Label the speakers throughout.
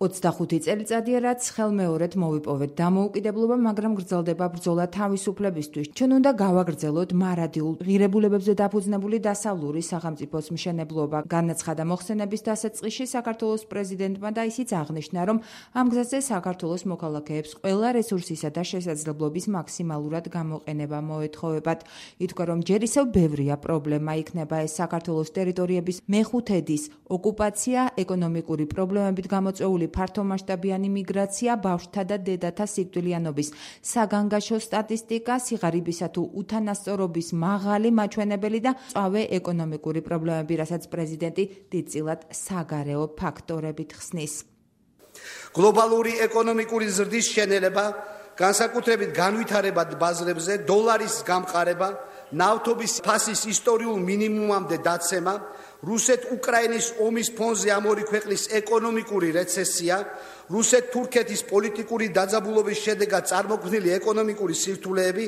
Speaker 1: 25 წელიწადია, რაც ხელმეორედ მოვიპოვეთ დამოუკიდებლობა, მაგრამ გრძელდება ბრძოლა თავისუფლებისთვის. ჩვენ უნდა გავაგრძელოთ მარადიულ ღირებულებებზე დაფუძნებული დასავლური სახელმწიფოს მშენებლობა. განაცხადა მოხსენების დასაწყისში საქართველოს პრეზიდენტმა და ისიც აღნიშნა, რომ ამ გზაზე საქართველოს მოქალაქეებს ყველა რესურსისა და შესაძლებლობის მაქსიმალურად გამოყენება მოეთხოვებათ. ითქვა, რომ ჯერ ისევ ბევრია პრობლემა, იქნება ეს საქართველოს ტერიტორიების მეხუთედის ოკუპაცია, ეკონომიკური პრობლემებით გამოწვეული ფართომასშტაბიანი მიგრაცია, ბავშვთა და დედათა სიკვდილიანობის საგანგაშო სტატისტიკა, სიღარიბისა თუ უთანასწორობის მაღალი მაჩვენებელი და მწვავე ეკონომიკური პრობლემები, რასაც პრეზიდენტი დიდწილად საგარეო ფაქტორებით ხსნის.
Speaker 2: გლობალური ეკონომიკური ზრდის შენელება, განსაკუთრებით განვითარებად ბაზრებზე, დოლარის გამყარება, ნავთობის ფასის ისტორიულ მინიმუმამდე დაცემა, რუსეთ-უკრაინის ომის ფონზე ამ ორი ქვეყნის ეკონომიკური რეცესია, რუსეთ-თურქეთის პოლიტიკური დაძაბულობის შედეგად წარმოქმნილი ეკონომიკური სირთულეები,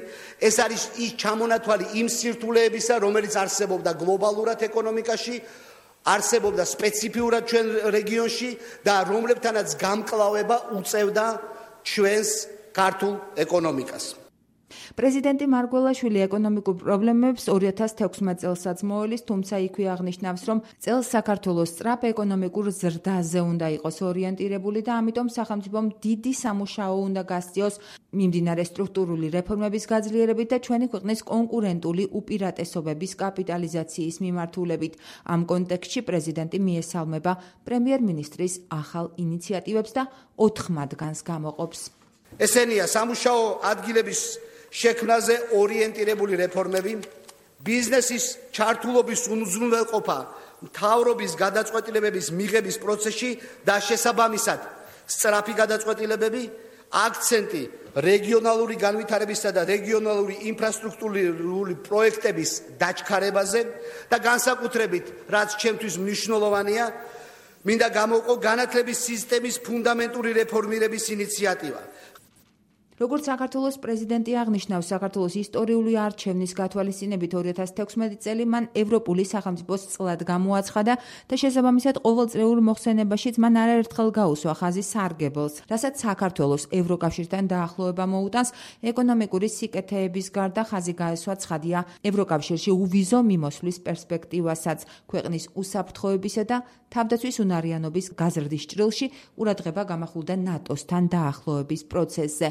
Speaker 2: ეს არის ის ჩამონათვალი იმ სირთულეებისა, რომელიც არსებობდა გლობალურად ეკონომიკაში, არსებობდა სპეციფიურად ჩვენ რეგიონში და რომლებთანაც გამკლავება უწევდა ჩვენს ქართულ ეკონომიკას.
Speaker 1: პრეზიდენტი მარგველაშვილი ეკონომიკურ პრობლემებს 2016 წელსაც მოელის, თუმცა იქვე აღნიშნავს, რომ წელს საქართველოს სწრაფ ეკონომიკურ ზრდაზე უნდა იყოს ორიენტირებული და ამიტომ სახელმწიფომ დიდი სამუშაო უნდა გასწიოს მიმდინარე სტრუქტურული რეფორმების გაძლიერებით და ჩვენი ქვეყნის კონკურენტული უპირატესობების კაპიტალიზაციის მიმართულებით. ამ კონტექსტში პრეზიდენტი მიესალმება პრემიერ-მინისტრის ახალ ინიციატივებს და 4 მათგანს გამოყოფს.
Speaker 2: ესენია სამუშაო ადგილების შექმნაზე ორიენტირებული რეფორმები, ბიზნესის ჩართულობის უზრუნველყოფა მთავრობის გადაწყვეტილებების მიღების პროცესში და შესაბამისად სწრაფი გადაწყვეტილებები, აქცენტი რეგიონალური განვითარებისა და რეგიონალური ინფრასტრუქტურული პროექტების დაჩქარებაზე და განსაკუთრებით, რაც ჩემთვის მნიშვნელოვანია, მინდა გამოვყო განათლების სისტემის ფუნდამენტური რეფორმირების ინიციატივა.
Speaker 1: როგორც საქართველოს პრეზიდენტი აღნიშნავს, საქართველოს ისტორიული არჩევნის გათვალისწინებით 2016 წელი მან ევროპული სახელმწიფოს წლად გამოაცხადა და შესაბამისად ყოველწლიურ მოხსენებაშიც მან არაერთხელ გაუსვა ხაზი სარგებელს, რასაც საქართველოს ევროკავშირთან დაახლოება მოუტანს. ეკონომიკური სიკეთეების გარდა ხაზი გაესვა ცხადია ევროკავშირში უვიზო მიმოსვლის პერსპექტივასაც. ქვეყნის უსაფრთხოებისა და თავდაცვის უნარიანობის გაზრდის ჭრილში ყურადღება გამახვილდა ნატოსთან დაახლოების პროცესზე.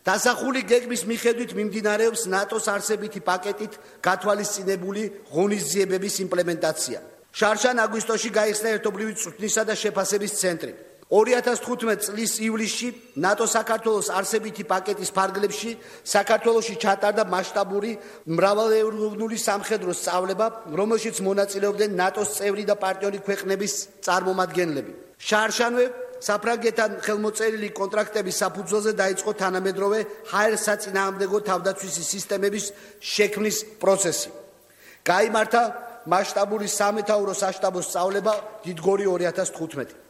Speaker 2: დასახული გეგმის მიხედვით მიმდინარეობს ნატოს არსებითი პაკეტით გათვალისწინებული ღონისძიებების იმპლემენტაცია. შარშან-აგვისტოში გაიხსნა ერთობლივი წვრთნისა და შეფასების ცენტრი. 2015 წლის ივლისში ნატო საქართველოს არსებითი პაკეტის ფარგლებში საქართველოში ჩატარდა მასშტაბური მრავალევროვნული სამხედრო სწავლება, რომელშიც მონაწილეობდნენ ნატოს წევრი და პარტნიორი ქვეყნების წარმომადგენლები. შარშანვე საფრანგეთთან ხელმოწერილი კონტრაქტების საფუძველზე დაიწყო თანამედროვე ჰაერსაწინააღმდეგო თავდაცვის სისტემების შექმნის პროცესი. გაიმართა მასშტაბური სამეთაურო საშტაბო სწავლება დიდგორი 2015.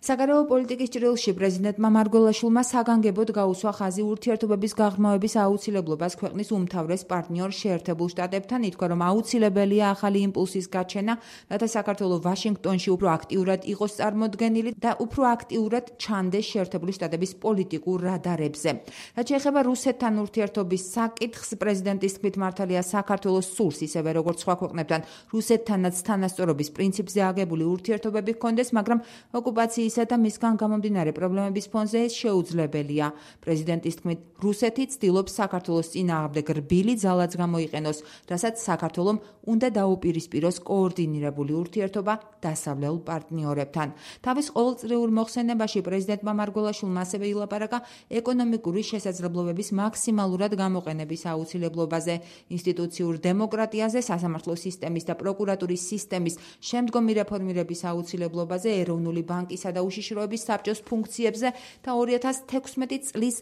Speaker 1: საგარეო პოლიტიკის ჭრილში პრეზიდენტმა მარგველაშვილმა საგანგებოდ გაუსვა ხაზი ურთიერთობების გაღრმავების აუცილებლობას ქვეყნის უმთავრეს პარტნიორ შეერთებულ შტატებთან. ითქვა, რომ აუცილებელია ახალი იმპულსის გაჩენა, რათა საქართველო ვაშინგტონში უფრო აქტიურად იყოს წარმოდგენილი და უფრო აქტიურად ჩანდეს შეერთებული შტატების პოლიტიკურ რადარებზე. რაც შეეხება რუსეთთან ურთიერთობის საკითხს, პრეზიდენტის თქმით მართალია საქართველოს სურს ისევე როგორც სხვა ქვეყნებთან რუსეთთანაც თანასწორობის პრინციპზე აგებული ურთიერთობები ჰქონდეს, მაგრამ ოკუპაციის და მისგან გამომდინარე პრობლემების ფონზე ეს შეუძლებელია. პრეზიდენტის თქმით, რუსეთი ცდილობს საქართველოს წინააღმდეგ რბილი ძალაც გამოიყენოს, რასაც საქართველომ უნდა დაუპირისპიროს კოორდინირებული ურთიერთობა დასავლელ პარტნიორებთან. თავის ყოველწლიურ მოხსენებაში პრეზიდენტმა მარგველაშვილმა ასევე ილაპარაკა ეკონომიკური შესაძლებლობების მაქსიმალურად გამოყენების აუცილებლობაზე, ინსტიტუციურ დემოკრატიაზე, სასამართლო სისტემის და პროკურატურის სისტემის შემდგომი რეფორმირების აუცილებლობაზე, ეროვნული ბანკისა და უშიშროების საბჭოს ფუნქციებზე და 2016 წლის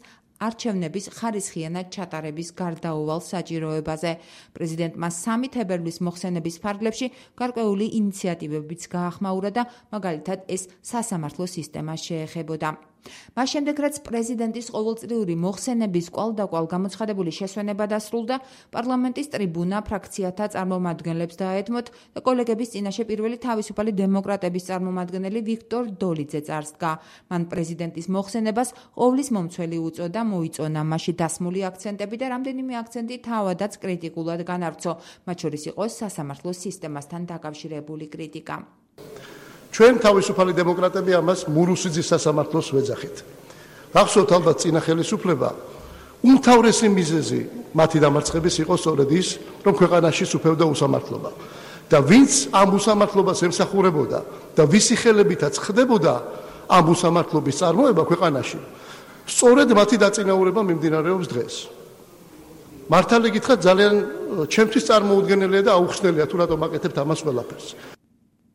Speaker 1: არჩევნების ხარისხიანად ჩატარების გარდაუვალ საჭიროებაზე. პრეზიდენტმა 3 თებერვლის მოხსენების ფარგლებში გარკვეული ინიციატივებიც გაახმაურა და მაგალითად ეს სასამართლო სისტემას შეეხებოდა. მას შემდეგ, რაც პრეზიდენტის ყოველწლიური მოხსენების კვალდაკვალ გამოცხადებული შესვენება დასრულდა, პარლამენტის ტრიბუნა ფრაქციათა წარმომადგენლებს დაეთმოთ და კოლეგების წინაშე პირველი თავისუფალი დემოკრატების წარმომადგენელი ვიქტორ დოლიძე წარსდგა. მან პრეზიდენტის მოხსენებას ყოვლის მომცველი უწოდა, მოიწონა მასში დასმული აქცენტები და რამდენიმე აქცენტი თავადაც კრიტიკულად განავრცო, მათ შორის იყო სასამართლო სისტემასთან დაკავშირებული კრიტიკა.
Speaker 3: ჩვენ თავისუფალი დემოკრატები ამას მურუსიძის სასამართლოს ვეძახით. გახსოვთ ალბათ წინა ხელისუფლება უმთავრესი მიზეზი მათი დამარცხების იყო სწორედ ის, რომ ქვეყანაში სუფევდა უსამართლობა. და ვინც ამ უსამართლობას ემსახურებოდა და ვისი ხელებითაც ხდებოდა ამ უსამართლობის წარმოება ქვეყანაში, სწორედ მათი დაწინაურება მიმდინარეობს დღეს. მართალი გითხრათ, ძალიან ჩემთვის წარმოუდგენელია და აუხსნელია თუ რატომ აკეთებთ ამას ყველაფერს.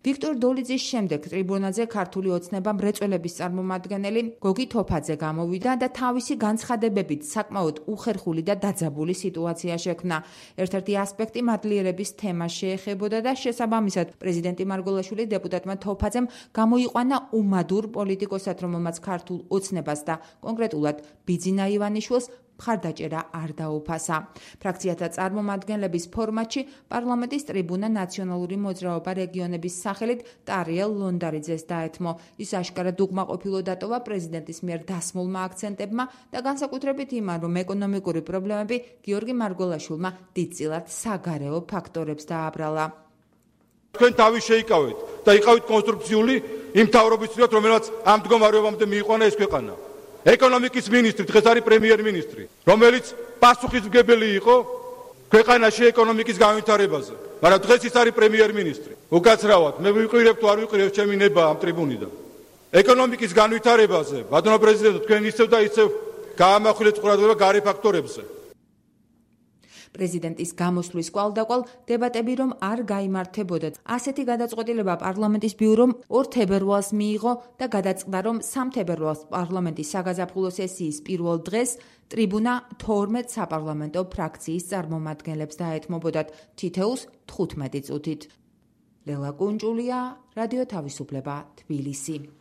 Speaker 1: ვიქტორ დოლიძის შემდეგ ტრიბუნაზე ქართული ოცნება მრეწველების წარმომადგენელი გოგი თოფაძე გამოვიდა და თავისი განცხადებებით საკმაოდ უხერხული და დაძაბული სიტუაცია შექმნა. ერთ-ერთი ასპექტი მადლიერების თემას შეეხებოდა და შესაბამისად პრეზიდენტი მარგველაშვილი დეპუტატმა თოფაძემ გამოიყვანა უმადურ პოლიტიკოსად, რომელმაც ქართულ ოცნებას და კონკრეტულად ბიძინა ივანიშვილს მხარდაჭერა არ დაუფასა. ფრაქციათა წარმომადგენლების ფორმატში პარლამენტის ტრიბუნა ნაციონალური მოძრაობა რეგიონების სახელით ტარიელ ლონდარიძეს დაეთმო. ის აშკარად უკმაყოფილო დატოვა პრეზიდენტის მიერ დასმულმა აქცენტებმა და განსაკუთრებით იმან, რომ ეკონომიკური პრობლემები გიორგი მარგველაშვილმა დიდწილად საგარეო ფაქტორებს დააბრალა.
Speaker 4: თქვენ თავი შეიკავეთ და იყავით კონსტრუქციული იმ მთავრობისთვისაც, რომელსაც ამ მდგომარეობამდე მიიყვანა ეს ქვეყანა. ეკონომიკის მინისტრი დღეს არის პრემიერ-მინისტრი, რომელიც პასუხისმგებელი იყო ქვეყანაში ეკონომიკის განვითარებაზე, მაგრამ დღეს ის არის პრემიერ-მინისტრი. უკაცრავად, მე ვიყურებ თუ არ ვიყურებ ჩემი ნება ამ ტრიბუნიდან. ეკონომიკის განვითარებაზე, ბატონო პრეზიდენტო, თქვენ ისევ და ისევ გაამახვილეთ ყურადღება გარე ფაქტორებზე.
Speaker 1: პრეზიდენტის გამოსვლის კვალდაკვალ დებატები რომ არ გაიმართებოდა. ასეთი გადაწყვეტილება პარლამენტის ბიურომ 2 თებერვალს მიიღო და გადაწყდა, რომ 3 თებერვალს პარლამენტის საგაზაფხულო სესიის პირველ დღეს ტრიბუნა 12 საპარლამენტო ფრაქციის წარმომადგენლებს დაეთმობოდათ თითოეულს 15 წუთით. ლელა კუნჭულია, რადიო თავისუფლება, თბილისი.